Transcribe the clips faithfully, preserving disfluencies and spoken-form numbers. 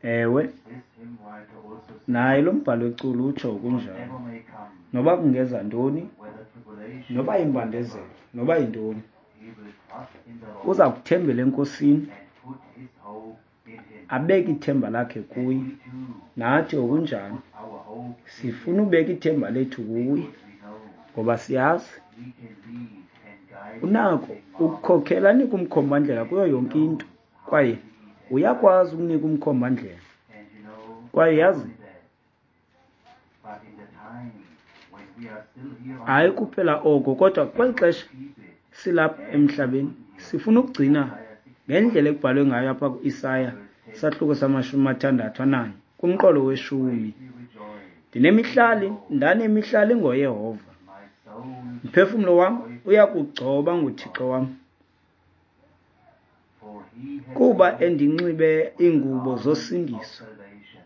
Ewe, This hymn writer also says, naye lo mbhalo weculo utsho kunjalo. whatever may come, Noba kungeza ntoni, whether tribulation noba yimbandezelo, noba yintoni, he will trust in the Lord uza kuthembela eNkosini, and put his hope in him. abeke ithemba lakhe And kuye. we too Nathi ngokunjalo put our hope in him sifuna ubeka ithemba lethu kuye, because we know ngoba siyazi he can lead and guide unako everything marvelous. ukukhokhela anike umkhombandlela And kuyo he yonke into, knows how to kwaye lead and guide. uyakwazi ukunika umkhombandlela. And you know, Kwaye not yazi, only that, but in the time when we are still here on hayi earth, kuphela oko, kodwa we kweli want to xesha keep it silapha as emhlabeni written here sifuna in ukugcina Isaiah ngendlela sixty-one, ekubhalwe ngayo apha kuIsaya verse ten. sahluko samashumi mathandathu ananye kumqolo I will weshumi. greatly rejoice in the Ndinemihlali, Lord. ndanemihlali ngoYehova. My soul shall be Umphefumlo wam joyful uyakugcoba in my nguThixo God. wam, For he has kuba clothed me endinxibe with the iingubo garment of zosindiso, salvation.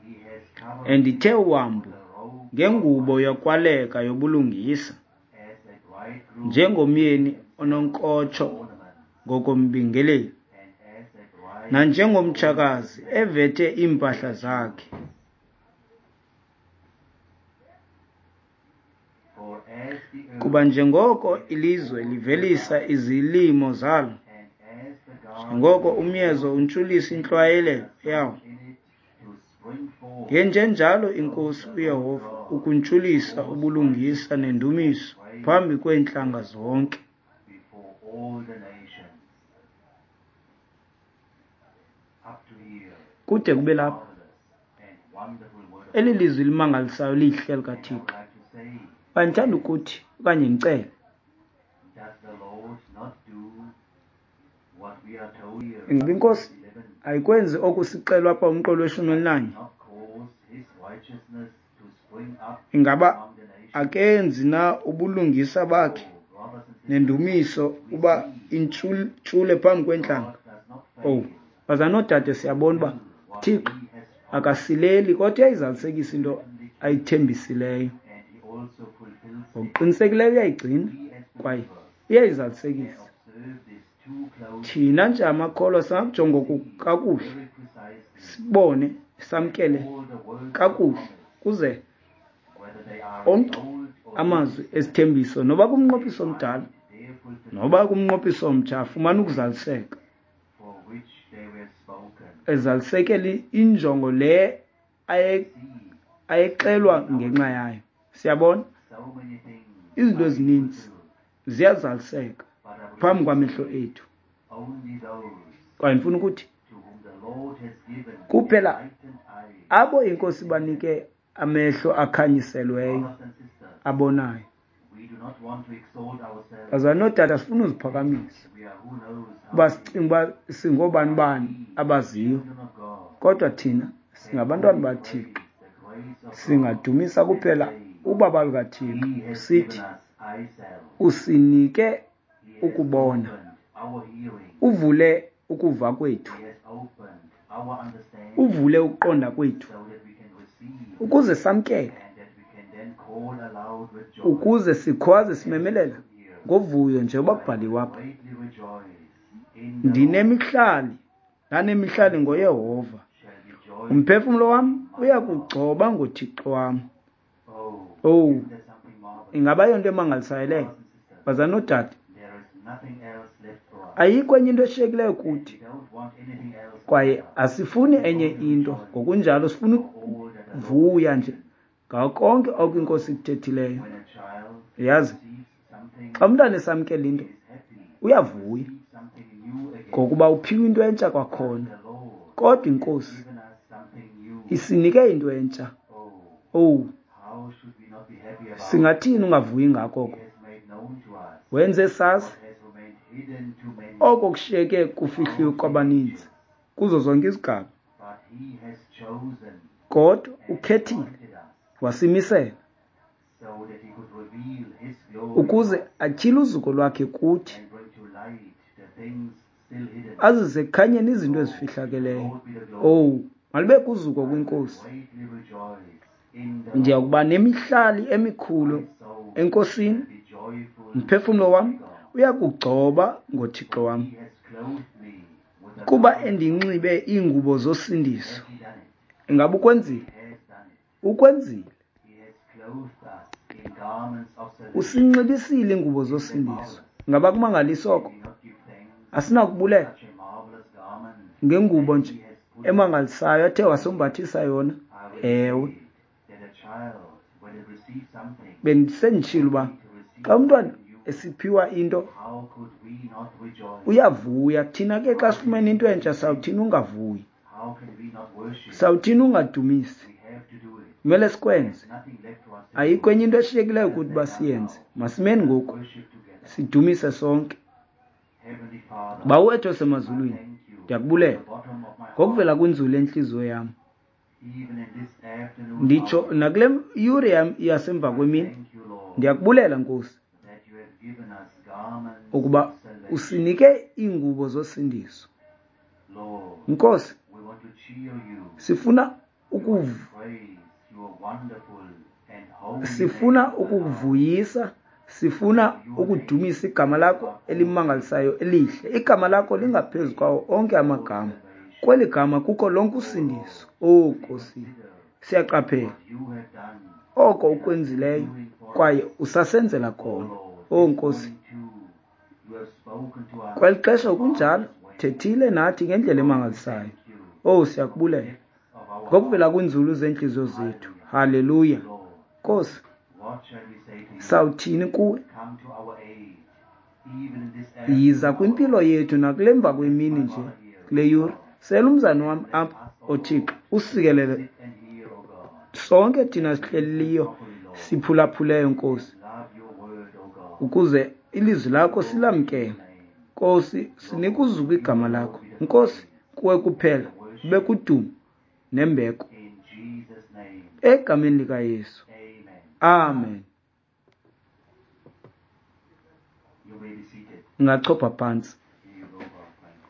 He has covered me endithe with wambu the robe of ngengubo righteousness, yokwaleka yobulungisa, as a bridegroom njengomyeni dressed himself with ononkotsho ornaments, ngokombingeleli, and as a bride adorns nanjengomtshakazi herself evethe iimpahla with zakhe. jewels. For as the Kuba earth njengoko giveth ilizwe forth her livelisa bud, izilimo zalo, and as the garden njengoko giveth umyezo forth untshulisa the seed intlwayelelo that yawo, sown in it to spring forth, ngenjenjalo so iNkosi the Lord uYehova God ukuntshulisa will cause ubulungisa righteousness and nendumiso praise phambi to kweentlanga spring zonke. before all the nations. Up to here, Kude kube this lapha, marvelous and wonderful word of eli God. lizwi limangalisayo lihle And I would likaThixo. like to say, Kwaye ndithanda ukuthi okanye ndicele, does the Lord not do what we are told here ingaba in iNkosi verse eleven? ayikwenzi oku sixelwa apha umqolo weshumi Does he elinanye? not cause his righteousness to spring up Ingaba among the nations? akenzi na ubulungisa bakhe Oh, brothers and sisters, nendumiso we uba see intshule phambi kweentlanga? God does not Owu, fail bazalwana to noodade, siyabona uba fulfill what uThixo he has promised. akasileli, kodwa He uyayizalisekisa into certainly keeps it, ayithembisileyo. and he also fulfills it. Ngokuqinisekileyo uyayigcina We as kwaye believers can uyayizalisekisa. observe this too closely Thina nje amakholwa singakujonga and oku see kakuhle, very precisely sibone, that samkele all the words of kakuhle promise, kuze whether they are in onke the Old or New amazwi Testament, esithembiso, noba they kumnqophiso omdala find their fulfillment noba kumnqophiso omtsha, afumane in the ukuzaliseka, for which they were spoken. ezalisekele injongo le aye- We see ayexelwa in our ngenxa lives yayo. Siyabona so many things izinto are being ezininzi fulfilled, ziyazaliseka but I would phambi like to kwamehlo say ethu. only those Kwaye ndifuna ukuthi to whom the Lord has given kuphela enlightened eyes abo can iNkosi see them. banike amehlo akhanyiselweyo Brothers and sisters, abonayo. we do not want to exalt ourselves Bazalwana nootata, sifuna and uziphakamisa think we are who knows how uba many, sicinga uba singoobani but bani we, the abaziyo, children of God, kodwa thina can singabantwana only baThixo. praise the grace of God Singadumisa and kuphela say, ubaba lukaThixo He has given sithi us eyesight, usinike He has ukubona, opened our hearing, uvule ukuva kwethu, He has opened our understanding uvule ukuqonda kwethu, so that we can receive ukuze samkele, and that we can then call aloud with joy. ukuze sikhwaze As is simemelela written here, ngovuyo njengoba I will kubhaliwe apha. greatly rejoice in the Lord. Ndinemihlali, ndanemihlali My soul ngoYehova, shall be joyful umphefumlo wam in my God. uyakugcoba ngoThixo wam. Oh, Owu, isn't that something marvelous? ingaba yonto emangalisayo leyo? Brothers and sisters, Bazalwana noodade, there is nothing else left for us, ayikho enye into eshiyekileyo and kuthi, we don't want anything else kwaye either. asifuni We enye only into. rejoice Ngokunjalo sifuna for all that the Lord has ukuvuya nje given. ngako konke oko You iNkosi know, ikuthethileyo. when a child Uyazi, receives something, xa umntana esamkela he into is happy to uyavuya receive something new again. ngokuba uphiwe into entsha But kwakhona. the Lord Kodwa has iNkosi given us something new. isinike into entsha. Oh, Owu, how should we not be happy about it? singathini ungavuyi ngako He oko? has made known to us Wenze sazi what has remained hidden to many oko kushiyeke kufihliwe throughout the kwabaninzi ages. kuzo zonke izigaba, But he has chosen kodwa and ukhethile appointed us wasimisela so that he could reveal his glory to ukuze us atyhile uzuko lwakhe kuthi, and bring to light the things still hidden. azise ekukhanyeni izinto Oh, to the ezifihlakeleyo. Lord be the glory. Owu, malibekho uzuko I will kwiNkosi. greatly rejoice in the Ndiya Lord. kuba nemihlali emikhulu My soul eNkosini, shall be joyful umphefumlo in wam my God. uyakugcoba ngoThixo For wam. he has clothed me with Kuba endinxibe iingubo zosindiso. Ingaba ukwenzile? Ukwenzile. Usinxibisile iingubo zosindiso. Ingaba kumangalisa oko? Asinakubulela ngengubo nje emangalisayo athe wasombathisa yona. Ewe. Bendisenditshilo uba xa umntwana esiphiwa into uyavuya. Thina ke xa sifumene into entsha sawuthini ungavuyi? Sawuthini ungadumisi? Kumele sikwenze. Ayikho enye into eshiyekileyo kuthi uba siyenze. Masimeni ngoku sidumise sonke. Bawo wethu osemazulwini, ndiyakubulela ngokuvela kwinzulu yentliziyo yam. Nditsho nakule yure yam yasemva kwemini, ndiyakubulela Nkosi ukuba usinike iingubo zosindiso. Nkosi, sifuna ukuv sifuna ukukuvuyisa, sifuna ukudumisa igama lakho elimangalisayo elihle. Igama lakho lingaphezu kwawo onke amagama. Kweli gama kukho lonke usindiso. Oh Nkosi, siyaqaphela oko ukwenzileyo kwaye usasenzela kona. Oh Nkosi, kweli xesha kunjalo thethile nathi ngendlela emangalisayo. Oh siyakubulela ngokuvela kwinzulu zeentliziyo zethu. Haleluya. Nkosi, sawuthini kuwe? Yiza kwimpilo yethu nakule mva kwemini nje kule yure. Sela umzana wam apha, oThixo, usikelele sonke thina sihleliyo siphulaphuleyo Nkosi, ukuze ilizwi lakho silamkele. Nkosi, sinika uzuko igama lakho. Nkosi, kuwe kuphela ube kudumo nembeko. Egameni likaYesu. Amen. Ungachopha phantsi.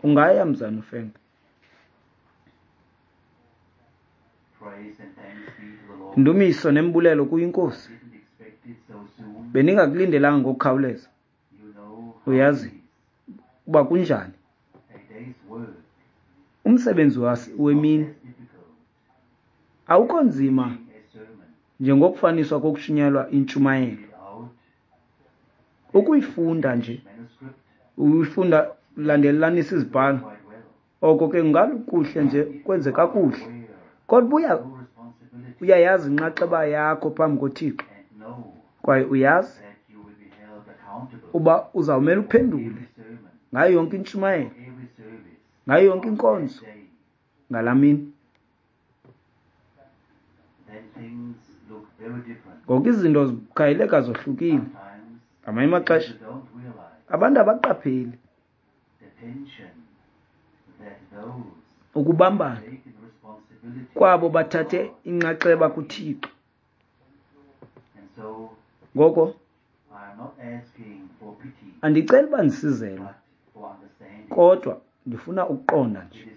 Ungaya mzana uFenga. Ndumiso nembulelo kuyiNkosi. Bendingakulindelanga ngokukhawuleza. Uyazi uba kunjani. Umsebenzi wemini awukho nzima njengokufaniswa kokushunyayelwa intshumayelo. Ukuyifunda nje, uyifunda ulandelelanisa izibhalo, oko ke kungakuhle nje kwenze kakuhle. Kodwa buya uyayazi inxaxheba yakho phambi koThixo, kwaye uyazi uba uzawumele uphendule ngayo yonke intshumayelo, ngayo yonke inkonzo ngalaa mini. Ngoku izinto zikhayeleka zohlukile. Ngamanye amaxesha abantu abaqapheli ukubambana kwabo bathathe inxaxheba kuThixo. Ngoko andiceli uba ndisizelwe, kodwa ndifuna ukuqonda nje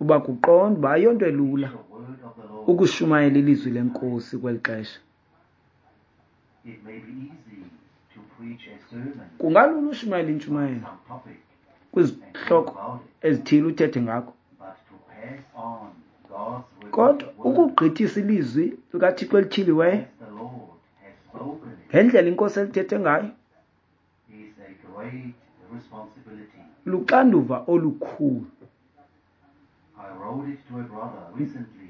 uba kuqonda uba ayonto elula ukushumayela ilizwi leNkosi kweli xesha. Kungalula ushumayela intshumayelo kwizihloko ezithile uthethe ngakho, kodwa ukugqithisa ilizwi likaThixo elityhiliweyo ngendlela iNkosi elithethe ngayo luxanduva olukhulu.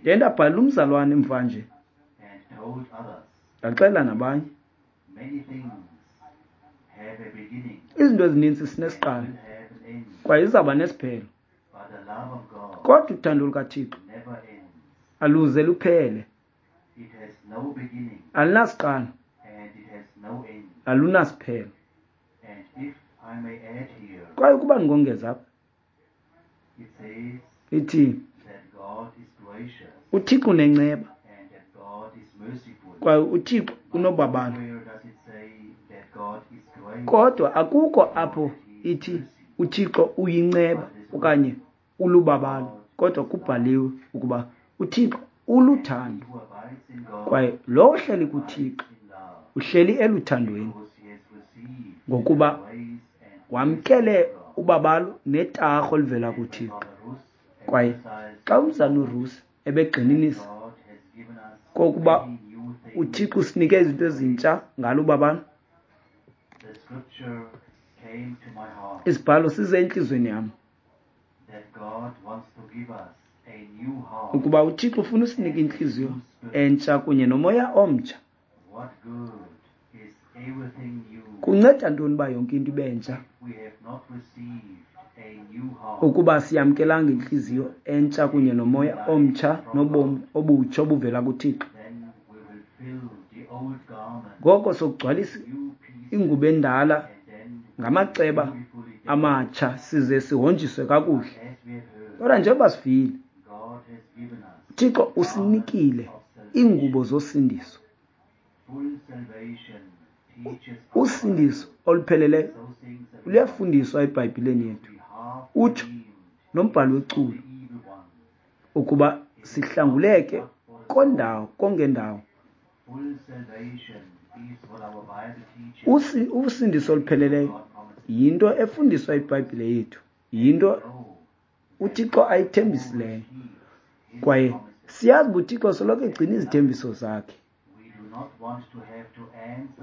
Ndiye ndabhalela umzalwane mva nje, ndaxelela nabanye. Izinto ezininzi sinesiqalo kwaye izawuba nesiphelo, kodwa uthando lukaThixo aluze luphele. Alunasiqalo, alunasiphelo. Kwaye ukuba ndingongeza apha, ithi uThixo unenceba kwaye uThixo unobabalo, kodwa akukho apho ithi uThixo uyinceba okanye ulubabalo, kodwa kubhaliwe ukuba uThixo uluthando, kwaye lo ohleli kuThixo uhleli eluthandweni, ngokuba wamkele ubabalo netarho oluvela kuThixo. Kwaye xa umzana uRusi ebegxininisa kokuba uThixo usinike izinto ezintsha ngalo ubabalo, isibhalo size entliziyweni yam ukuba uThixo ufuna usinike intliziyo entsha kunye nomoya omtsha. Kunceda ntoni uba yonke into ibe ntsha ukuba siyamkelanga intliziyo entsha kunye nomoya omtsha nobomi obutsha obuvela kuThixo? Ngoko sokugcwalisa ingubo endala ngamaceba amatsha size sihonjiswe kakuhle. Kodwa njengoba sivile, uThixo usinikile iingubo zosindiso. Usindiso olupheleleyo luyafundiswa eBhayibhileni yethu. Utsho nombhali weculo ukuba sihlanguleke kondawo kongendawo. Usindiso olupheleleyo yinto efundiswa iBhayibhile yethu, yinto uThixo ayithembisileyo. Kwaye siyazi uba uThixo soloko egcina izithembiso zakhe.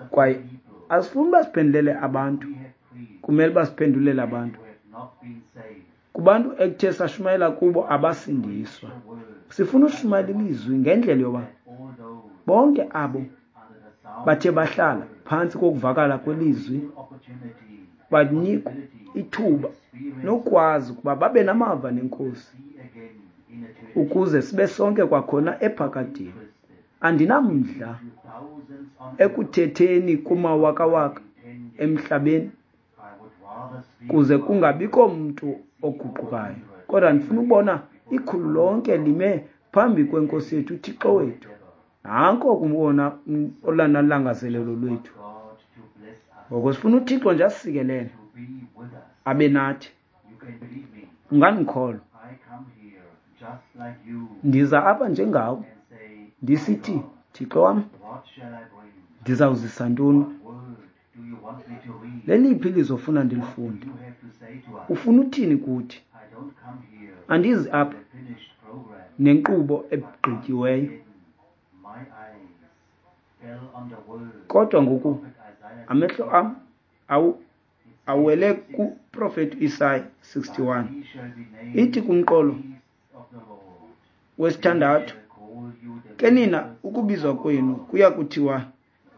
Kwaye asifuni uba siphendulele abantu, kumele uba siphendulele abantu kubantu ekuthe sashumayela kubo abasindiswa. Sifuna ushumayela ilizwi ngendlela yoba bonke abo bathe bahlala phantsi kokuvakala kwelizwi banikwe ithuba nokwazi ukuba babe namava nenkosi ukuze sibe sonke kwakhona ephakadeni. Andinamdla ekuthetheni kumawakawaka emhlabeni kuze kungabikho mntu oguqukayo, kodwa ndifuna ubona ikhulu lonke lime phambi kwenkosi yethu uThixo wethu. Nanko kuwona olona langazelelo lwethu. Ngoko sifuna uThixo nje asisikelele, abe nathi. Ungandikholwa, ndiza apha njengawe ndisithi, Thixo wam, ndizawuzisa ntoni? Leliphi ilizwi ofuna ndilifunde? Ufuna uthini kuthi? Andizi apha nenkqubo egqityiweyo, kodwa ngoku amehlo am awu awele kuprofeti Isaya sixty-one. Ithi kumqolo wesithandathu, ke nina ukubizwa kwenu kuya kuthiwa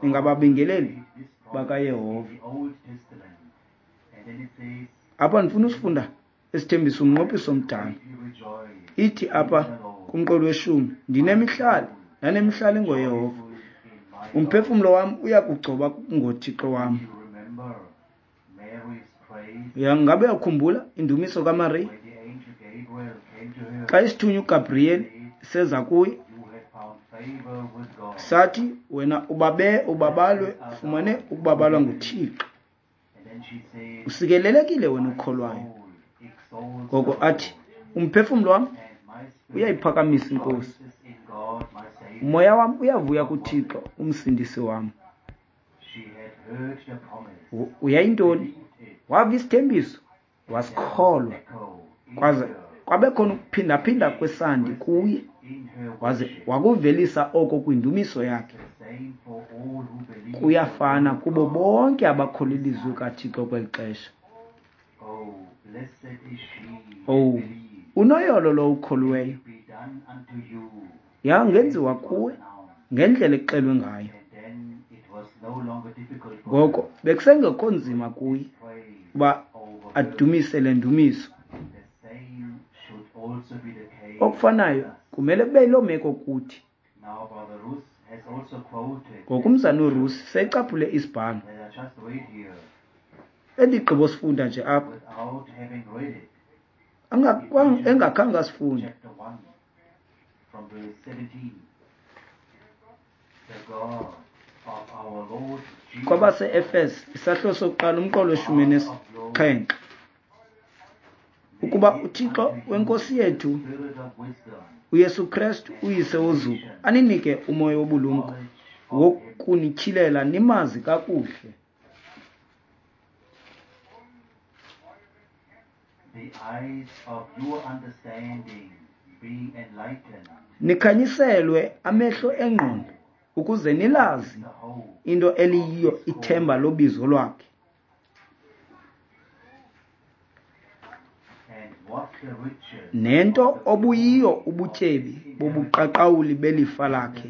ningababingeleli bakaYehova. Apha ndifuna usifunda esithembisa umnqophiso omdala. Ithi apha kumqolo weshumi, ndinemihlali ndanemihlali ngoYehova, umphefumlo wam uya kugcoba ngoThixo wam. Ngabe uyakhumbula indumiso kaMariya xa isithunywa uGabriel seza kuye sathi, wena ubabe ubabalwe ufumane ukubabalwa nguThixo, usikelelekile wena ukholwayo. Ngoko athi, umphefumlo wam uyayiphakamisa inkosi, umoya wam uyavuya kuThixo umsindisi wam. Uyayintoni? Wava isithembiso, wasikholwa, kwaze kwabe khona ukuphindaphinda kwesandi kuye, waze wakuvelisa oko kwindumiso yakhe. Kuyafana kubo bonke abakholwa ilizwi kaThixo kweli xesha. Oh, unoyolo lo ukholiweyo, yangenziwa kuwe ngendlela exelwe ngayo. Ngoko bekusengekho nzima kuye uba adumise le ndumiso. Okufanayo kumele kube yiloo meko kuthi. Ngoku umzana uRusi secaphule isibhalo endigqibo sifunda nje apha engakhange asifunde. Kwabase-Efese isahluko sokuqala umqolo weshumi nesixhenxe, ukuba uThixo wenkosi yethu uYesu Kristu uyise wozuko aninike umoya wobulumko wokunityhilela nimazi kakuhle. Nikhanyiselwe amehlo engqondo ukuze nilazi into eliyiyo ithemba lobizo lwakhe, nento obuyiyo ubutyebi bobuqaqawuli belifa lakhe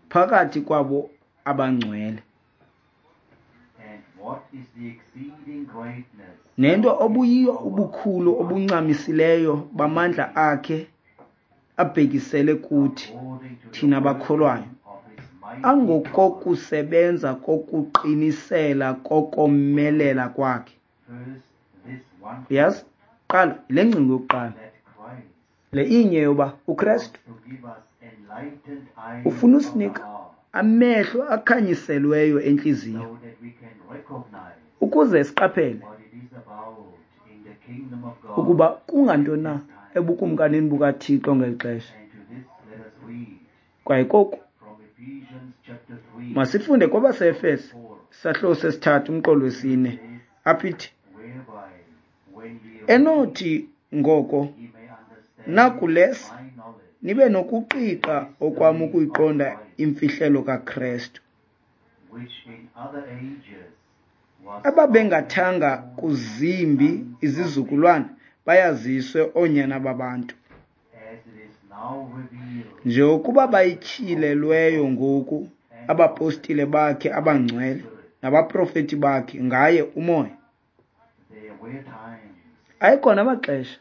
phakathi kwabo abangcwele, nento obuyiyo ubukhulu obuncamisileyo bamandla akhe abhekisele kuthi thina bakholwayo, angokokusebenza kokuqinisela kokomelela kwakhe. Uyazi, qala le ngcinga yokuqala, le inye yoba uKristu ufuna usinika amehlo akhanyiselweyo entliziyo ukuze siqaphele ukuba kungantoni na ebukumkanini bukaThixo ngeli xesha. Kwaye koku masifunde kwabaseEfese isahluko sesithathu umqolo wesine, apho ithi, enothi ngoko nakulesi nibe nokuqiqa okwam ukuyiqonda imfihlelo kaKristu, ababengathanga kuzimbi izizukulwana bayaziswe oonyana babantu, njengokuba bayityhilelweyo ngoku abapostile bakhe abangcwele nabaprofeti bakhe ngaye uMoya. Ayekhona amaxesha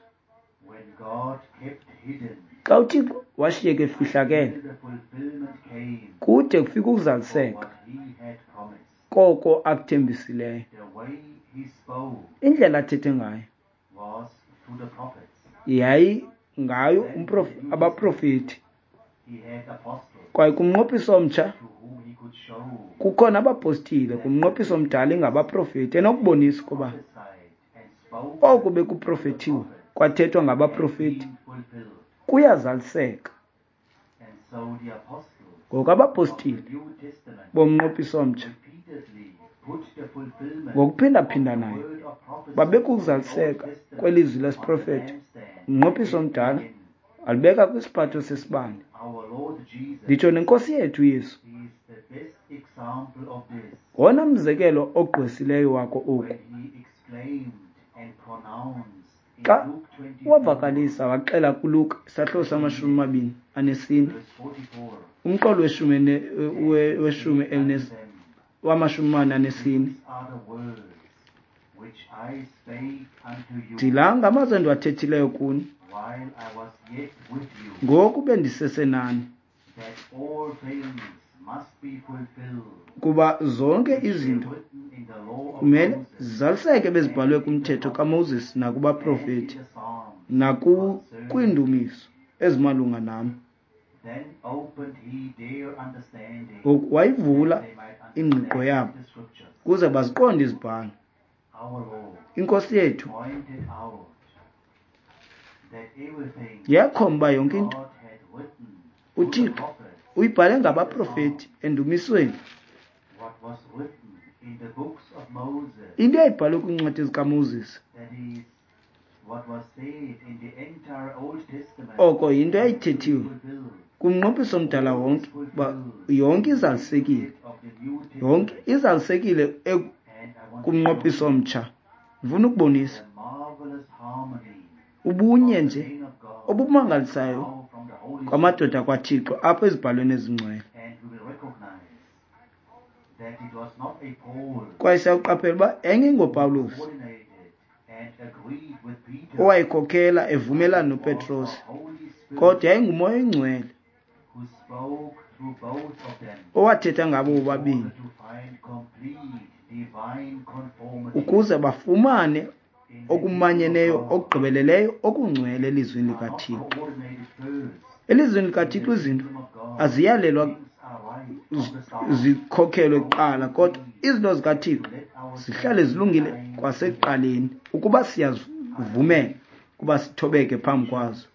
xa uThixo washiyeka efihlakele kude kufike ukuzaliseka koko akuthembisileyo. Indlela athethe ngayo yayi ngayo abaprofeti. Kwaye kumnqophiso omtsha kukhona abapostile, kumnqophiso omdala ingabaprofeti, enokubonisa ukuba oku bekuprofethiwe kwathethwa ngabaprofeti kuyazaliseka. Ngoku abapostile bomnqophiso omtsha ngokuphindaphindanayo babekuzaliseka kwelizwi lesiprofeto. Umnqophiso omdala alibeka kwisiphatho sesibane. Nditsho nenkosi yethu Yesu ngowona mzekelo ogqwesileyo wako oku. Xa wavakalisa waxela kuLuka isahluko samashumi amabini anesine umqolo weshumi weshumi elinesi wamashumi amane anesine, ndila ngamazwi endiwathethileyo kuni ngoku bendisesenani, kuba zonke izinto kumele zizaliseke bezibhalwe kumthetho kaMoses nakubaprofeti nakwiindumiso ezimalunga nam. Ngoku wayivula ingqiqo yabo ukuze baziqonde izibhalo. Inkosi yethu yakhomba yonke into uThixo uyibhale ngabaprofeti endumisweni. Into eyayibhalwe kwiincwadi zikaMoses, oko yinto eyayithethiwe kumnqophiso omdala wonke, uba yonke izalisekile, yonke izalisekile kumnqophiso omtsha. Ndifuna ukubonisa ubunye nje obumangalisayo kwamadoda kwaThixo apha ezibhalweni ezingcwele. Kwaye siyawuqaphela uba yayingengoPawulos owayekhokhela evumelana noPetros, kodwa yayinguMoya oyiNgcwele owathetha ngabo bobabini ukuze bafumane okumanyeneyo okugqibeleleyo okungcwele elizwini likaThixo. Elizwini likaThixo izinto aziyalelwa zikhokhelwe kuqala, kodwa izinto zikaThixo zihlale zilungile kwasekuqaleni ukuba siyazivumela ukuba sithobeke phambi kwazo.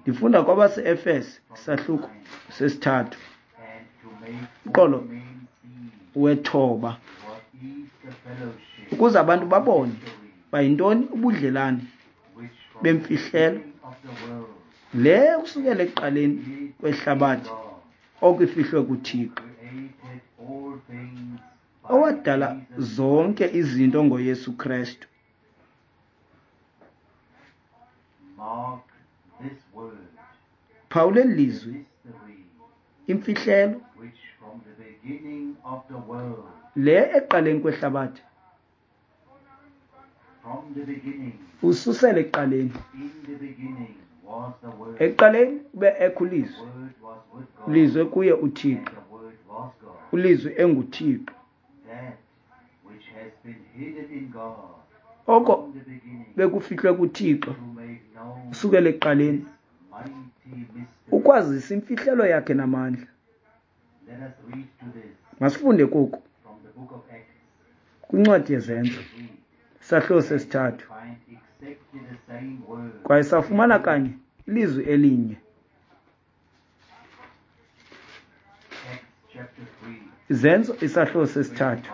Ndifunda kwabase-Efese isahluko sesithathu uqolo wethoba, ukuze abantu babone bayintoni ubudlelane bemfihlelo le kusukela ekuqaleni kwehlabathi okufihlwe kuThixo, owadala zonke izinto ngoYesu Kristu. Phawula eli lizwi, imfihlelo le ekuqaleni kwehlabathi, ususela ekuqaleni. Ekuqaleni ube ekho uLizwi, uLizwi kuye uThixo, uLizwi enguThixo. Oko bekufihlwe kuThixo usukela ekuqaleni, ukwazisa imfihlelo yakhe namandla. Masifunde koku kwincwadi yeZenzo, isahluko sesithathu, kwaye safumana kanye ilizwi elinye. Izenzo isahluko sesithathu,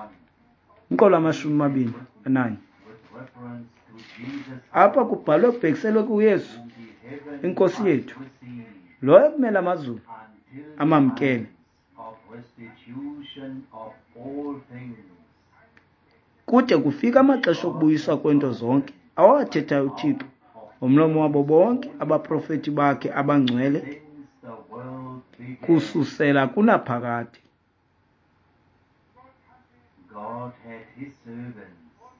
umqolo amashumi amabini ananye. Apha kubhalwe kubhekiselwe kuYesu iNkosi yethu, lowo ekumele amazulu amamkele kude kufike amaxesha okubuyiswa kwento zonke awathethayo uThixo ngomlomo wabo bonke abaprofeti bakhe abangcwele kususela kunaphakade.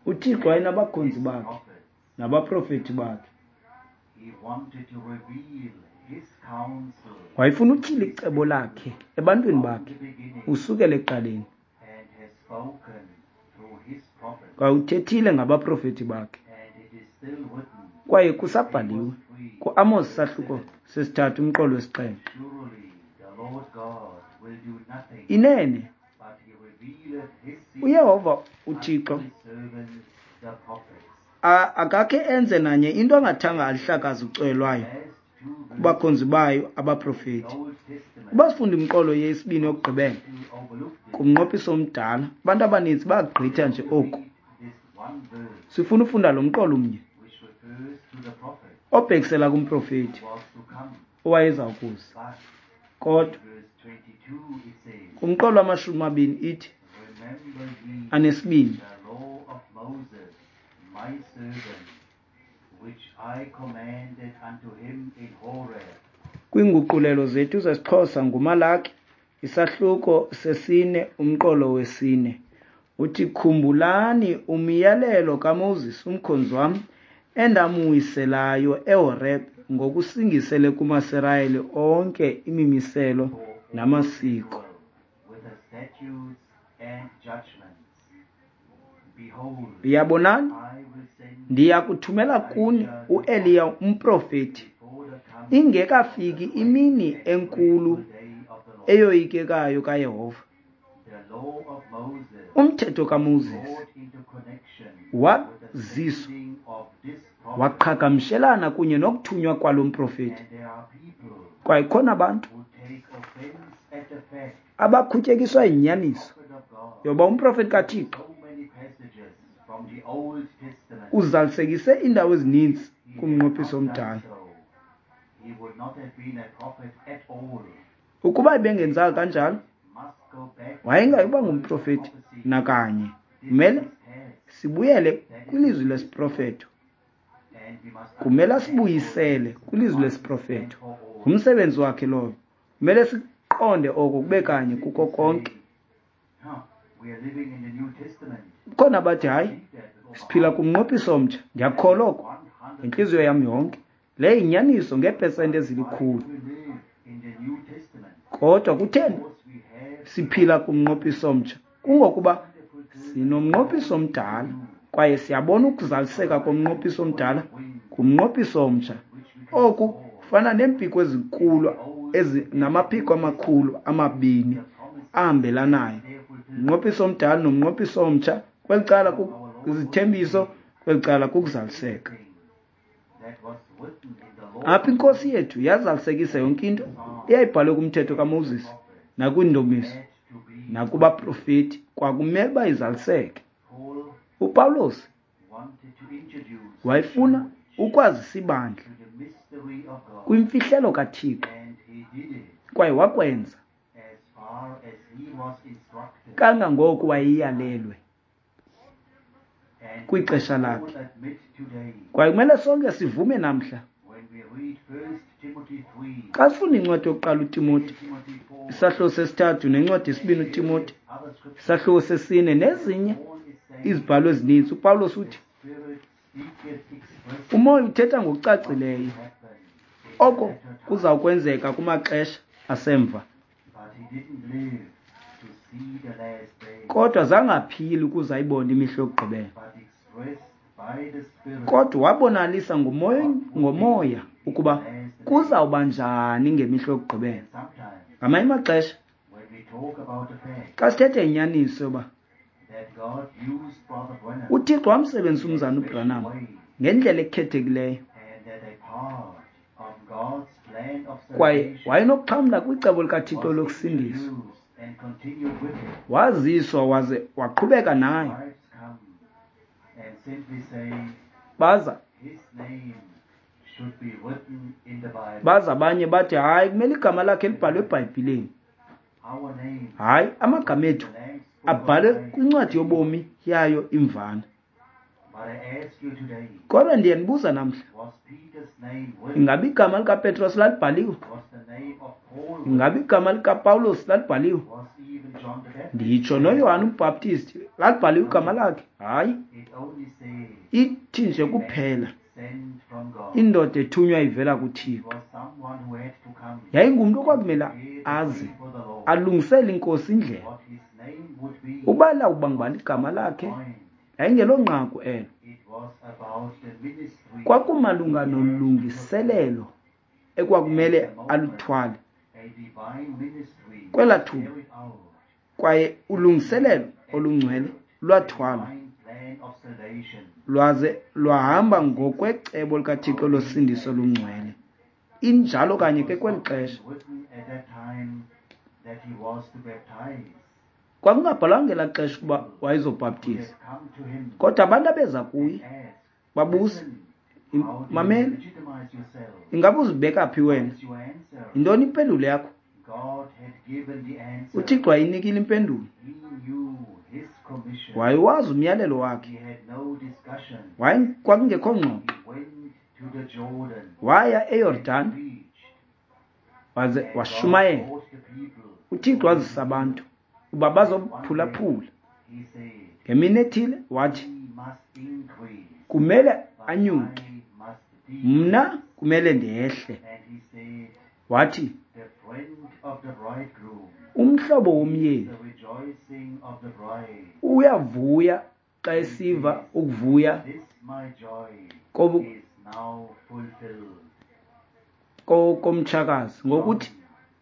UThixo wayenabakhonzi bakhe nabaprofeti bakhe. Wayefuna utyhila icebo lakhe ebantwini bakhe usukela ekuqaleni, kwaye uthethile ngabaprofeti bakhe, kwaye kusabhaliwe kuAmos sahluko sesithathu umqolo wesixhenxe. Inene uYehova uThixo akakhe enze nanye into angathanga alihlakaze ucweyo lwayo kubakhonzi bayo abaprofeti. Uba sifunda imiqolo yesibini yokugqibela kumnqophiso omdala, abantu abaninzi bayagqitha nje oku. Sifuna ufunda lo mqolo mnye obhekisela kumprofeti owayeza kuza. Kodwa kumqolo wamashumi amabini ithi anesibini, kwiinguqulelo zethu zesiXhosa nguMalaki isahluko sesine umqolo wesine, uthi khumbulani umyalelo kaMoses umkhonzi wam endamwiselayo eHorebe ngokusingisele kumaSirayeli onke imimiselo namasiko. Yabonani, ndiya kuthumela kuni uEliya umprofeti ingekafiki imini enkulu eyoyikekayo kaYehova. Umthetho kaMoses waziswa waqhagamshelana kunye nokuthunywa kwalo mprofeti. Kwaye khona abantu abakhutyekiswa yinyaniso yoba umprofeti kaThixo uzalisekise iindawo ezininzi kumnqophiso omdala. Ukuba ebengenzanga kanjalo, wayengayi kuba ngumprofeti nakanye. Kumele sibuyele kwilizwi lesiprofeto. Kumele asibuyisele kwilizwi lesiprofeto. Ngumsebenzi wakhe lowo. Kumele siqonde oko kube kanye kuko konke. Kukhona abathi hayi, siphila kumnqophiso omtsha. Ndiyakholwa oko ngentliziyo yam yonke. Le yinyaniso ngeepesenti ezilikhulu. Kodwa kutheni siphila kumnqophiso omtsha? Kungokuba sinomnqophiso omdala kwaye siyabona ukuzaliseka komnqophiso omdala kumnqophiso omtsha. Oku kufana neempiko ezinkulu ezi namaphiko amakhulu amabini ahambelanayo. Umnqophiso omdala nomnqophiso omtsha, kweli cala kuzithembiso, kweli cala kukuzaliseka. Apha iNkosi yethu yazalisekisa yonke into eyayibhalwe kumthetho kaMoses nakwiindumiso nakubaprofeti, kwakumele uba izaliseke. UPawulos wayefuna Ukwazisa ibandla to the mystery of God. Kwimfihlelo kaThixo. And he did it Kwaye wakwenza as far as he was instructed. Kangangoko wayeyalelwe And we kwixesha must all lakhe. admit today, Kwaye kumele sonke sivume namhla. when we read First Timothy three, Xa sifunda incwadi yokuqala uTimoti, Second Timothy four, isahluko sesithathu nencwadi yesibini uTimoti, other scriptures, isahluko sesine nezinye Paul is saying, izibhalo ezininzi, uPawulos uthi the Spirit speaketh expressly umoya uthetha ngokucacileyo what happened in the oko latter time. kuza kwenzeka kumaxesha asemva. But he didn't live to see the last day, Kodwa zangaphili ukuze ayibone imihla yokugqibela. but expressed by the Spirit Kodwa wabonalisa ngomoya ngomoya ukuba kuzawuba njani ngemihla yokugqibela. And sometimes Ngamanye amaxesha when we talk about the fact xa sithetha inyaniso yoba that God used Brother Branham uThixo wamsebenzisa in a umzana special uBranham way, ngendlela ekhethekileyo and that a part of God's plan of kwaye salvation wayenokuxhamla kwicebo likaThixo was lokusindiswa. introduced and continued with it. Waziswa waze waqhubeka nayo. Wives come and simply say Baza his name should be written in the Bible. baza abanye bathi hayi kumele igama lakhe libhalwe eBhayibhileni. Our name, Hayi amagama ethu the Lamb's Book of abhalwe Life. kwincwadi yobomi yayo imvana. But I ask you today, Kodwa ndiyanibuza namhla, was Peter's name written? ingaba igama likaPetros lalibhaliwe? Was the name of Paul written? Ingaba igama likaPawulos lalibhaliwe? Was even John the Baptist? Nditsho noYohane uBhaptisti lalibhaliwe igama lakhe? Hayi, It only says ithi nje kuphela sent from God. indoda ethunywa ivela It kuThixo. was someone who had to come Yayingumntu okwakumele prepare the aze way for the Lord. alungisele inkosi indlela. What his name would be, Uba lawuba ngubani igama lakhe point. yayingelonqaku elo. It was about the ministry Kwakumalunga he had to nolungiselelo ekwakumele aluthwale a divine ministry kwelaa was thuba. carried out. Kwaye ulungiselelo olungcwele lwathwalwa Divine plan of salvation. lwaze lwahamba ngokwecebo likaThixo losindiso olungcwele. Injalo kanye ke kweli xesha. Written at that time that he was to baptize. Kwakungabhalwanga ngelaa xesha ukuba Who wayezobhaptiza, had come to him kodwa abantu abeza kuye and asked, babuza, "Listen, "Im- how do you mamela, legitimize yourself? ingaba uzibeka phi wena? What is your answer?" Yintoni impendulo yakho? God had given the answer. UThixo wayinikile impendulo. He knew his commission. Wayewazi umyalelo wakhe. He had no discussion. Waye kwakungekho ngxoxo. He went to the Jordan Waya and eYordani preached. waze And God washumayela. brought the people UThixo wazisa abantu uba bazophulaphula. He said, Ngemini ethile wathi "He must increase, kumele but anyuke, I must decrease." mna kumele ndehle. And he said, Wathi "The friend of the bridegroom umhlobo is womyeni the rejoicing of the bride. uyavuya xa esiva ukuvuya This my joy kobu- is now fulfilled." ko- komtshakazi ngokuthi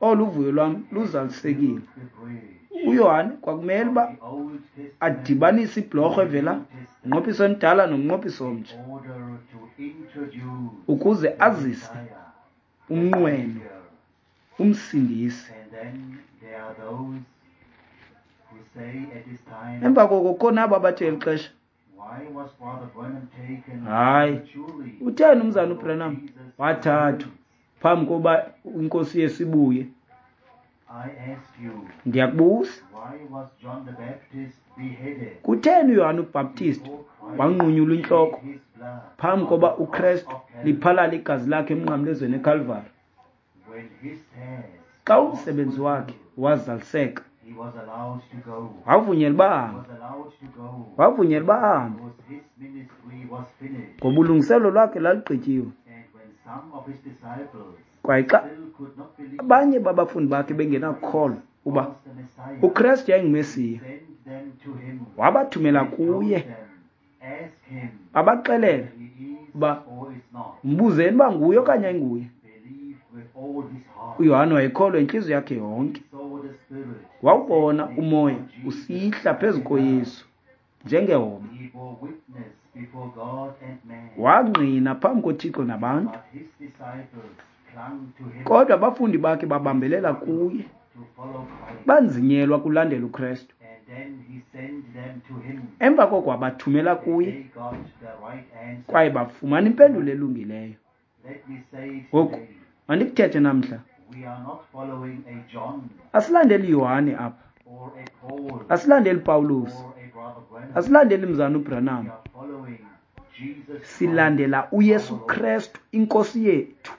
olu vuyo lwam luzalisekile. The bridge uYohane kwakumele uba of the Old Testament adibanise ibhlorho evela to the New Testament mnqophiso omdala nomnqophiso omtsha in order to introduce ukuze the azise Messiah, the umnqweno Savior. umsindisi. And then there are those who say at this time, Emva koko kukho nabo abathi eli xesha, why was Brother Branham taken Hayi, prematurely utheni umzana before uBranham Jesus wathathwa returns? phambi koba inkosi Yesu ibuye? I ask you, Ndiyakubuza, why was John the Baptist beheaded kutheni uYohane uBhaptisti before Christ wanqunyulwa intloko shed his blood phambi on koba the cross uKrestu of Calvary? liphalale igazi lakhe emnqamlezweni eKalvari? When his task Xa was umsebenzi wakhe fulfilled, wazaliseka, he was allowed to go. wavunyelwa uba He ahambe, was allowed to go wavunyelwa uba ahambe because his ministry was finished. ngoba ulungiselelo lwakhe lalugqityiwe. And when some of his disciples Kwaye xa still could not believe abanye babafundi bakhe bengenakukholwa uba was the Messiah, uKrestu yayinguMesiya, sent them to him wabathumela and told kuye them, "Ask him babaxelela if he is uba or is not." mbuzeni uba nguye okanye ayinguye. Believed with all his heart. uYohane wayekholwa intliziyo yakhe yonke. He saw the Spirit Wawubona descending umoya on Jesus usihla phezu like a dove. koYesu njengehobe. He bore witness before God and man. Wangqina phambi koThixo nabantu. But his disciples clung to him Kodwa abafundi bakhe babambelela kuye, to follow Christ banzinyelwa kulandela uKrestu. and Emva koko wabathumela kuye, kwaye bafumana impendulo elungileyo. Ngoku mandikuthethe namhla, asilandeli Yohane apha, asilandeli Pawulos, asilandeli mzana uBranham, silandela uYesu Kristu inkosi yethu.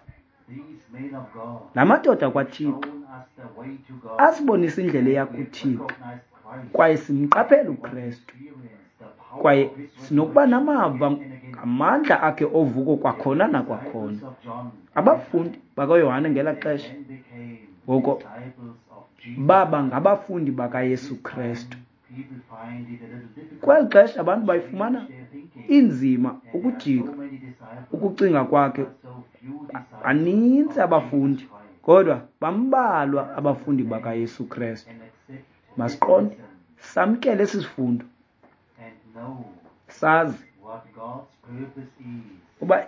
La madoda kwaThixo asibonisa indlela eya kuThixo, kwaye simqaphela uKristu, kwaye sinokuba namava ngamandla akhe ovuko kwakhona nakwakhona. Abafundi bakaYohane ngelaa xesha ngoko baba ngabafundi bakaYesu Kristu. Kweli xesha abantu bayifumana inzima ukujika ukucinga kwakhe. Baninzi abafundi, kodwa bambalwa abafundi bakaYesu Kristu. Masiqonde, samkele esi sifundo, sazi uba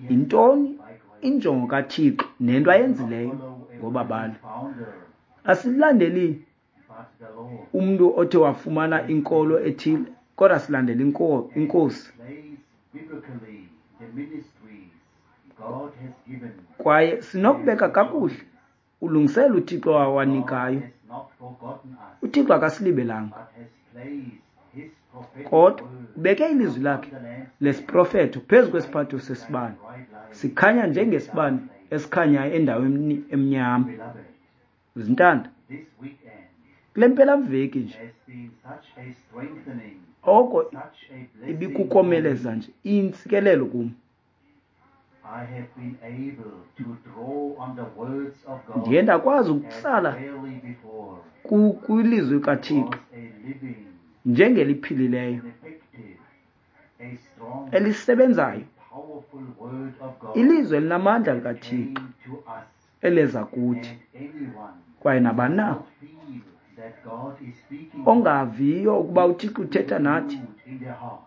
yintoni injongo kaThixo nento ayenzileyo ngobabalo. Asilandeli umntu othe wafumana inkolo ethile, kodwa silandela inkosi. Kwaye sinokubeka kakuhle ulungiselo uThixo awanikayo. uThixo akasilibelanga, kodwa ubeke ilizwi lakhe lesiprofeto phezu kwesiphatho sesibane, sikhanya njengesibane esikhanyayo endaweni emnyama. Zintanda, kule mpelaveki nje oko ibikukomeleza nje intsikelelo kum. Ndiye ndakwazi ukutsala kwilizwi kaThixo njengeliphilileyo, elisebenzayo, ilizwi elinamandla likaThixo eleza kuthi. Kwaye nabani na ongaviyo ukuba uThixo uthetha nathi,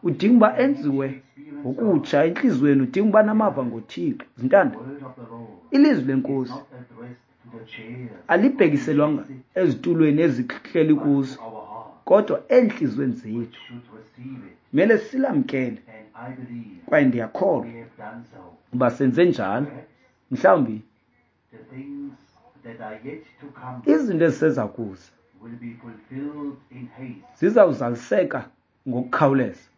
udinga uba enziwe ngokutsha entliziyweni, udinga uba namava ngoThixo. Zintanda, ilizwi lenkosi alibhekiselwanga ezitulweni ezihleli kuzo, kodwa entliziyweni zethu. Kumele silamkele, kwaye ndiyakholwa uba senze njalo. Mhlawumbi izinto eziseza kuza zizawuzaliseka ngokukhawuleza,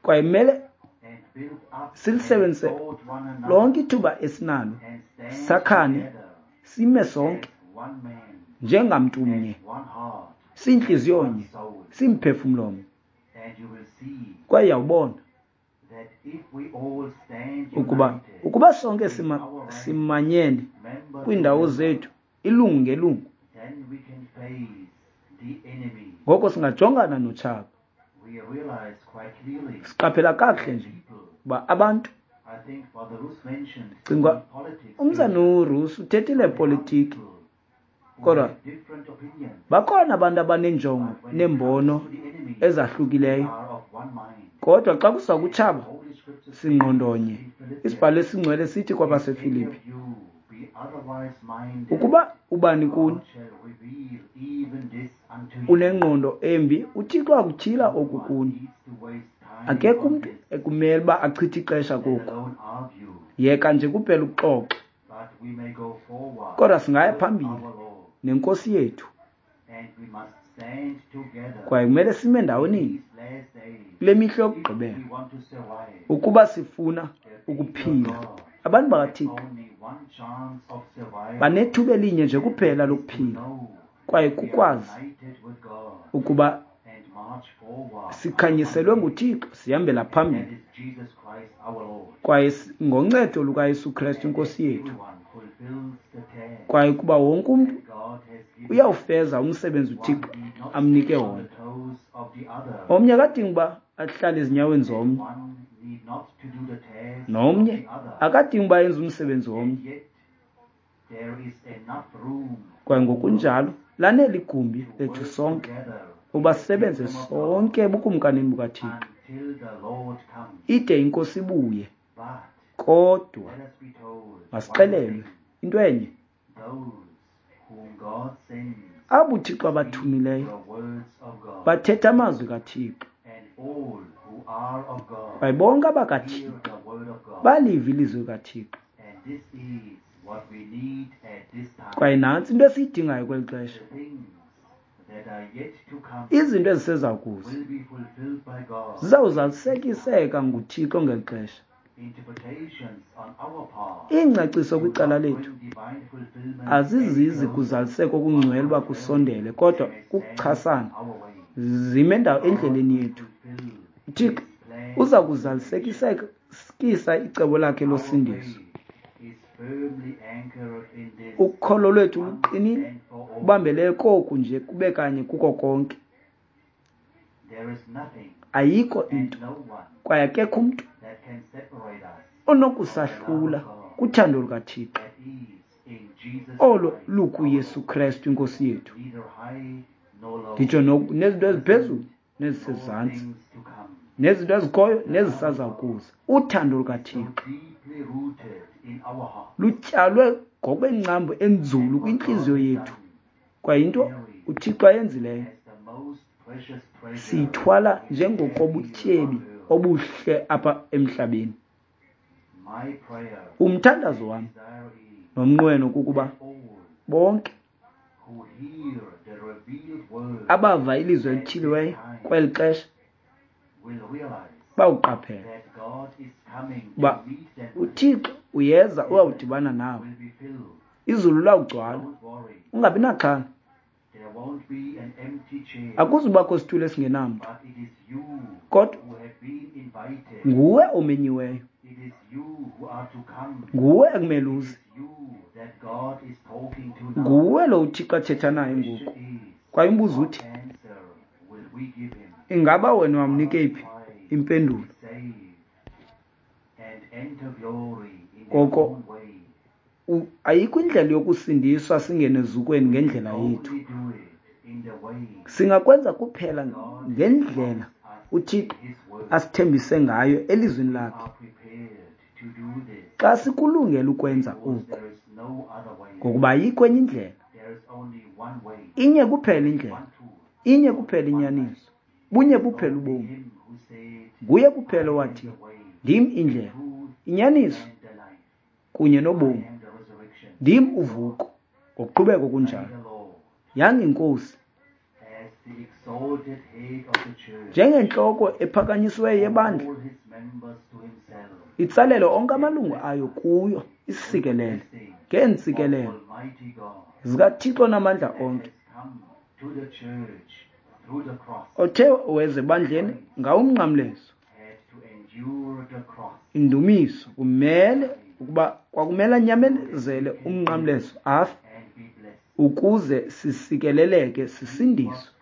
kwaye kumele silisebenzise lonke ithuba esinalo, sakhane, sime sonke njengamntu mnye, siyintliziyo nye, simphefumlo mnye. Kwaye uyawubona ukuba ukuba sonke sima, simanyene kwiindawo zethu, ilungu ngelungu, ngoko singajongana notshaba. Siqaphela kakuhle nje uba abantu, cinga umzana uRusi uthethile epolitiki, kodwa bakhona abantu abanenjongo neembono ezahlukileyo, kodwa xa kuza kutshaba singqondonye. Isibhalo esingcwele sithi kwabaseFilipi, ukuba ubani kuni unengqondo embi, uThixo akutyhila oku kuni. Akekho umntu ekumele uba achithe ixesha koku, yeka nje kuphela ukuxoxa, kodwa singaya phambili nenkosi yethu. Kwaye kumele sime ndawoninye kule mihla yokugqibela ukuba sifuna ukuphila. Abantu bakaThixo banethuba elinye nje kuphela lokuphila, kwaye kukwazi ukuba sikhanyiselwe nguThixo, sihambela phambili, kwaye ngoncedo lukaYesu Kristu inkosi yethu, kwaye kuba wonke umntu uyawufeza umsebenzi uThixo amnike wona. Omnye akadingi uba ahlale ezinyaweni zomnye, nomnye akadingi uba enze umsebenzi womnye. Kwaye ngokunjalo lanele igumbi lethu sonke uba sisebenze sonke ebukumkanini bukaThixo ide inkosi ibuye. Kodwa masixelelwe into enye, Abo uThixo abathumileyo bathetha amazwi kaThixo, kwaye bonke abakaThixo baliva ilizwi likaThixo. Kwaye nantsi into esiyidingayo kweli xesha. Izinto eziseza kuza zizawuzalisekiseka nguThixo ngeli xesha. Iingcaciso kwicala lethu azizizi kuzaliseka okungcwele uba kusondele, kodwa kukuchasana zime endawo endleleni yethu. UThixo uza kuzalisekisa icebo lakhe losindiso. Ukholo lwethu luqinile, ubambelele koku nje kube kanye kuko konke. Ayikho into kwaye akekho umntu onokusahlula kuthando lukaThixo olo lukuYesu Krestu iNkosi yethu. Nditsho nezinto eziphezulu nezisezantsi, nezinto ezikhoyo nezisaza kuza. Uthando lukaThixo lutyalwe ngokwengcambu enzulu kwintliziyo yethu, kwaye into uThixo ayenzileyo siyithwala njengokobutyebi obuhle apha emhlabeni. Umthandazo wam nomnqweno kukuba bonke abava ilizwi elityhiliweyo kweli xesha bawuqaphela uba uThixo uyeza uyawudibana nawe, izulu lawugcwala, ungabi naxhala. Akuzubakho situlo esingenamntu, kodwa nguwe omenyiweyo, nguwe ekumele uze, nguwe lo uThixo athetha naye ngoku. Kwaye umbuzo uthi, ingaba wena wamnika iphi impendulo? Ngoko ayikho indlela yokusindiswa singene ezukweni ngendlela yethu. Singakwenza kuphela ngendlela uThixo asithembise ngayo elizwini lakhe. Xa sikulungele ukwenza oku, ngokuba ayikho enye indlela, inye kuphela indlela, inye kuphela inyaniso, bunye kuphela ubomi. Nguye kuphela owathi, ndim indlela, inyaniso kunye nobomi, ndim uvuko. Ngokuqhubeka kunjalo, yanga iNkosi njengentloko ephakanyisiweyo yebandla itsalele onke amalungu ayo kuyo, isikelele ngeentsikelelo zikaThixo namandla onke, othe weza ebandleni ngawo umnqamlezo. Indumiso kumele ukuba kwakumele anyamezele umnqamlezo afe ukuze sisikeleleke sisindiswe.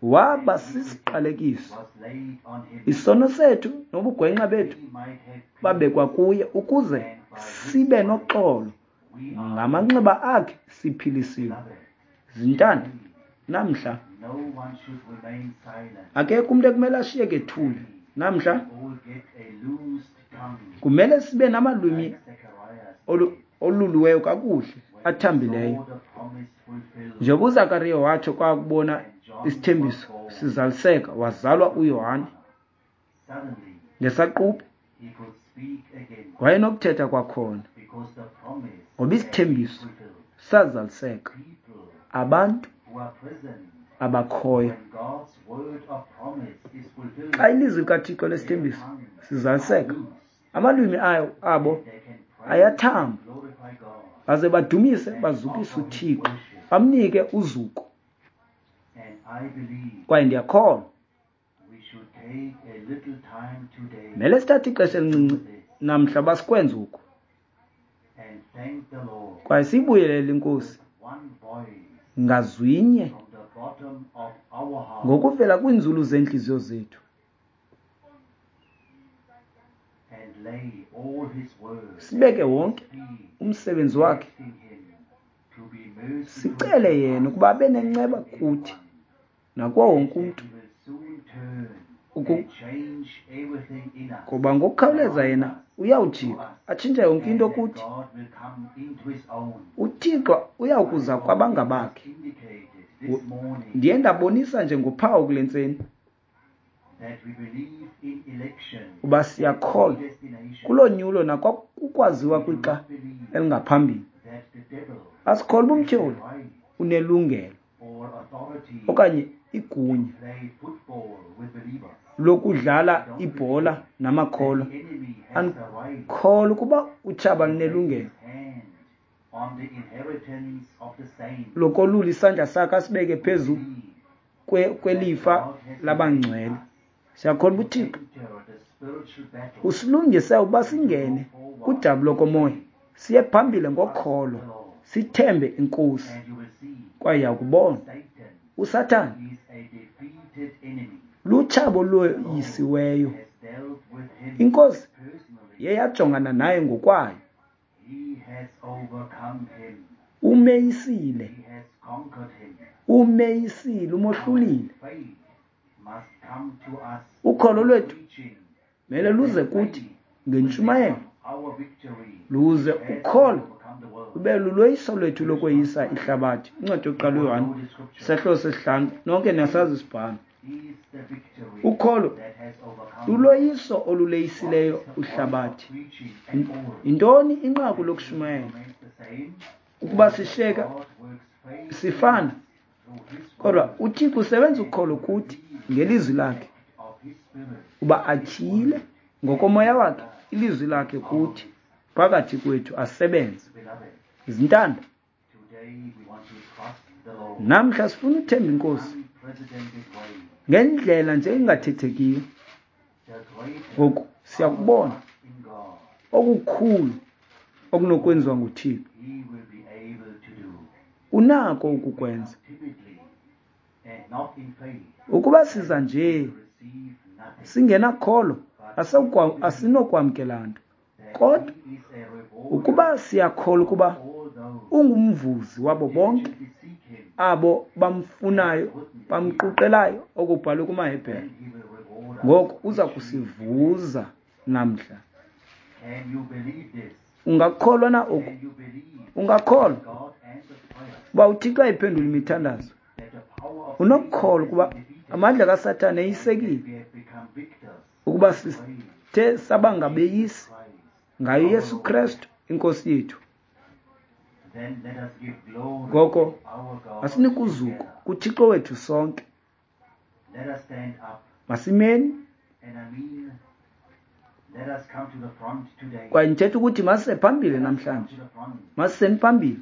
Waba sisiqalekiso, isono sethu nobugwenxa bethu babekwa kuye ukuze sibe noxolo, ngamanxeba akhe siphilisiwe. Zintanda, namhla akekho umntu ekumele ashiyeke ethule. Namhla kumele sibe namalwimi oluluweyo kakuhle, athambileyo. Njengoba uZakariya watsho kwakubona isithembiso sizaliseka, wazalwa uYohane. Ngesaquphe wayenokuthetha kwakhona, ngoba isithembiso sazaliseka. Abantu abakhoyo xa ilizwi likaThixo lesithembiso sizaliseka, amalwimi ayo abo ayathamba, baze badumise bazukise uThixo, bamnike uzuko. Kwaye ndiyakholwa mele sithathe ixesha elincinci namhla basikwenze oku, kwaye siyibuyelele iNkosi ngazwinye ngokuvela kwiinzulu zeentliziyo zethu, sibeke wonke umsebenzi wakhe, sicele yena ukuba abe nenceba kuthi nakuwo wonke umntu, Ngoba ngokukhawuleza yena uyawujika atshintshe yonke into kuthi. UThixo uyawukuza kwabangabakhe. Ndiye ndabonisa nje ngophawu kule ntseni uba siyakholwa kulonyulo nakwakukwaziwa kwixa elingaphambili. Asikholwa uba umtyholi unelungelo okanye igunya lokudlala ibhola namakholwa. Andikholwa ukuba utshaba lunelungelo lokolula isandla sakhe asibeke phezu kwelifa labangcwele. Siyakholwa uba uThixo usilungise ukuba singene kudabi lokomoya, siye phambili ngokholo, sithembe iNkosi, kwaye uyakubona uSathane lutshaba oloyisiweyo. INkosi yeyajongana naye ngokwayo. Umeyisile, umeyisile, umohlulile. Ukholo lwethu mele luze kuthi ngentshumayelo, luze ukholo lube luloyiso lwethu lokweyisa ihlabathi. Incwadi yokuqala uYohane isahluko sesihlanu, nonke niyasazi isibhalo. Ukholo luloyiso oluleyisileyo ihlabathi. Yintoni inqaku lokushumayela? Ukuba sishiyeka sifana, kodwa uThixo usebenza ukholo kuthi ngelizwi lakhe, uba atyhile ngokomoya wakhe ilizwi lakhe kuthi phakathi kwethu asebenze. Izintanda, namhla sifuna uthemba iNkosi ngendlela nje engathethekiyo. Ngoku siyakubona okukhulu okunokwenziwa nguThixo. Unako ukukwenza. Ukuba siza nje singenakholo, asinokwamkela nto. Kodwa ukuba siyakholwa ukuba ungumvuzi wabo bonke abo bamfunayo, bamquqelayo, okubhalwe kumaHebhere, ngoku uza kusivuza namhla. Ungakholwa na oku? Ungakholwa uba uThixo ayiphendula imithandazo? Unokukholwa ukuba amandla kaSathane eyisekile, ukuba sithe saba ngabeyisi ngayo Yesu Kristu iNkosi yethu? Ngoko asinike uzuko kuThixo wethu sonke. Masimeni. Kwaye ndithetha ukuthi masise phambili namhlanje, masiseni phambili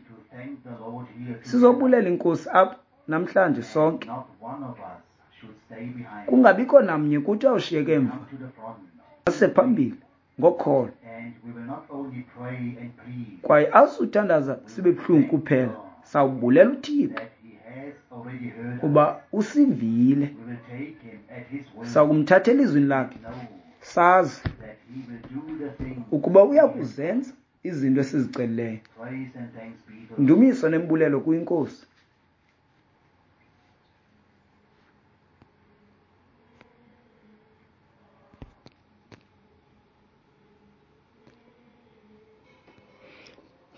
sizobulela iNkosi apha namhlanje sonke. Kungabikho namnye kuthi awushiyeke emva. Masise phambili ngokholo. Kwaye asuthandaza sibe buhlungu kuphela, sawubulela uThixo uba usivile. Sakumthatha elizwini lakhe, sazi ukuba uyakuzenza izinto esizicelileyo. Ndumiso nembulelo kuyiNkosi.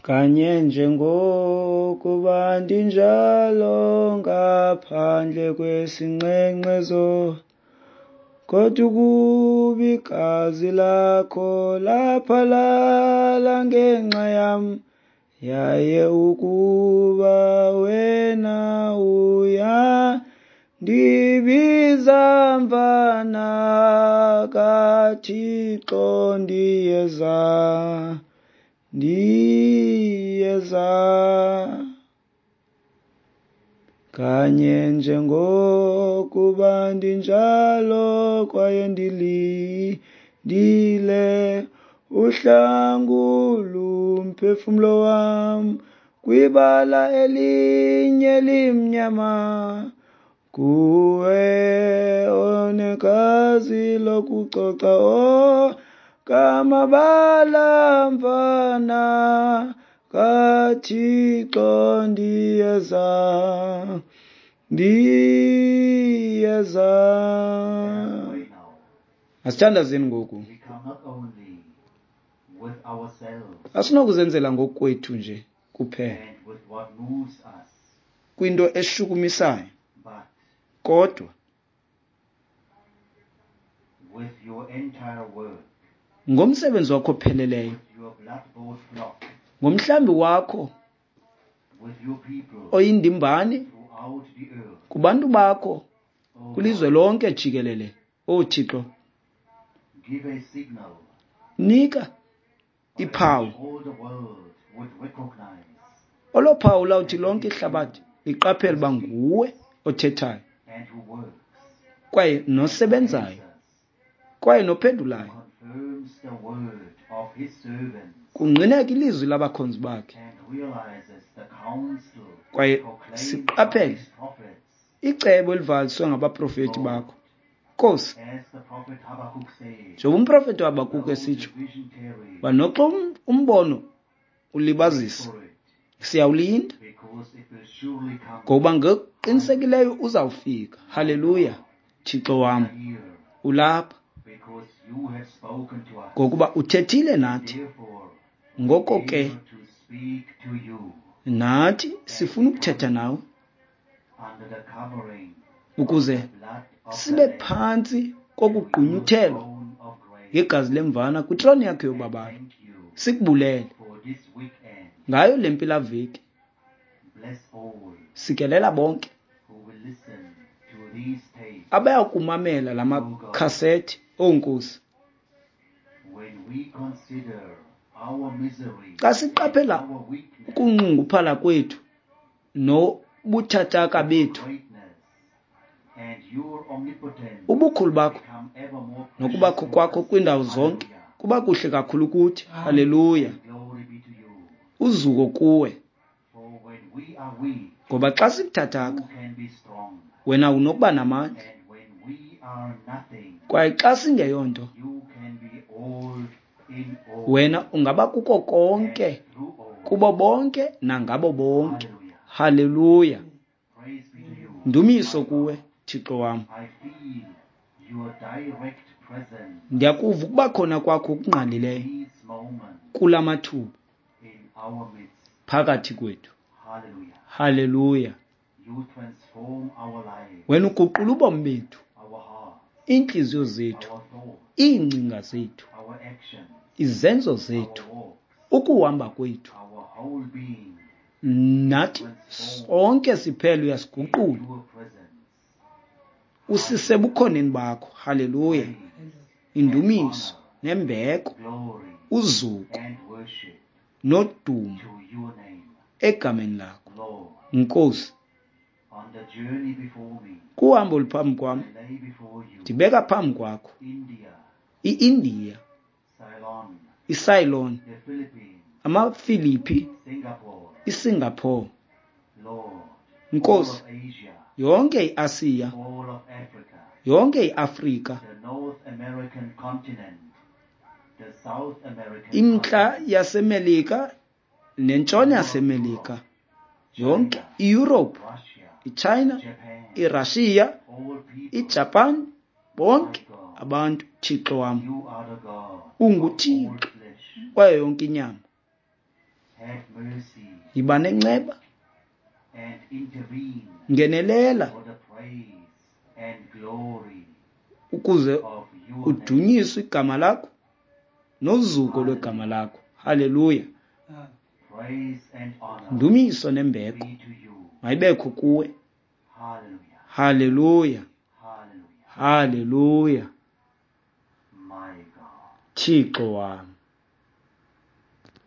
Kanye njengokuba ndinjalo ngaphandle kwesinqenqezo, kodwa ukuba igazi lakho laphalala ngenxa yam, yaye ukuba wena uya ndibiza mvana kaThixo, ndiyeza, ndiyeza. Kanye njengokuba ndinjalo kwaye ndilindile uhlangulu umphefumlo wam kwibala elinye limnyama, kuwe onegazi lokucoca o kamabala mvana kaThixo, ndiyeza, ndiyeza. Asithandazeni ngoku. We come not only with ourselves Asinokuzenzela ngokwethu nje kuphela and with what moves us, kwinto eshukumisayo, but kodwa with your entire work, ngomsebenzi wakho opheleleyo, with your blood-bought flock, ngomhlambi wakho with your people oyindimbane throughout the earth. kubantu bakho O kwilizwe God, lonke jikelele. O Thixo, give a signal nika by iphawu which all the world would recognize olo phawu lawuthi lonke ihlabathi liqaphele uba nguwe othethayo and who works kwaye and nosebenzayo answers, kwaye nophendulayo, confirms the word of his servants kungqineka ilizwi labakhonzi bakhe and realizes the counsel kwaye proclaimed by siqaphele his prophets. icebo elivaliswe ngabaprofeti Lord, bakho. Nkosi, as the prophet Habakkuk said, njengoba umprofeti uHabakuki though the esitsho vision tarries, uba noxa um- umbono wait ulibazisa, for it, siyawulinda because it will surely come. ngoba ngokuqinisekileyo uzawufika. My Haleluya. God, Thixo we wam, are here ulapha because you have spoken to us. ngokuba uthethile nathi. Therefore, we Ngoko ke dare to speak to you nathi and sifuna we ukuthetha come nawe under the covering of ukuze the blood of the sibe Lamb phantsi to your kokugqunyuthelwa throne of grace ngegazi lemvana kwitroni yakho and yobabalo. thank you Sikubulele for this weekend. ngayo le mpelaveki. Bless all Sikelela bonke who will listen to these tapes, abaya kumamela la O God. makhasethi. Oonkosi, When we consider our misery xa and siqaphela our weakness, ukunxunguphala kwethu nobuthathaka your bethu, greatness and your omnipotence ubukhulu bakho become ever more precious nokubakho to kwakho us. kwiindawo zonke Hallelujah. kuba kuhle kakhulu kuthi. Haleluya. And glory be to you. Uzuko kuwe, For when we are weak, ngoba xa sibuthathaka you can be strong. wena unokuba namandla, And when we are nothing, kwaye xa singeyonto you can be all in all wena ungaba kuko konke, and through all. kubo bonke nangabo bonke. Hallelujah. Haleluya. Praise be to you, Ndumiso my kuwe, God. Thixo wam. I feel your direct presence Ndiyakuva ukuba khona kwakho okungqalileyo these moments kula mathuba in our midst. phakathi kwethu. Hallelujah. Haleluya. You transform our lives, Wena uguqula ubomi bethu, our hearts, iintliziyo zethu, our thoughts, iingcinga zethu, our actions, izenzo our zethu, walks, ukuhamba kwethu, our whole being nathi transformed sonke siphela in uyasiguqula your presence. usise bukhoneni bakho. Haleluya. Praise and Indumiso honor, nembeko, glory uzuko and worship nodumo to your name, egameni lakho. Lord. Nkosi, On the journey before me, kuhambo oluphambi kwam I lay before you ndibeka phambi kwakho India, i-India, Ceylon, iCeylon, the Philippines, amaFiliphi, Singapore, iSingapore, Lord, all Nkosi, of Asia, yonke iAsiya, all of Africa, yonke iAfrika, the North American continent, the South American imntla continent, yaseMelika nentshona all of yaseMelika, Europe, yonke China, iEurope, Russia, iChina, Japan, iRussia, all people, iJapan, my bonke God, abantu. Thixo wam, you are the God of all unguThixo flesh. kwayo yonke inyama. Have mercy Yiba nenceba, and intervene ngenelela for the praise and glory ukuze of your name. udunyiswe igama lakho nozuko lwegama Hallelujah. lakho. Haleluya. Praise and honor Ndumiso nembeko be to you. mayibekho kuwe. Hallelujah. Haleluya. Hallelujah. Haleluya. My God. Thixo wam.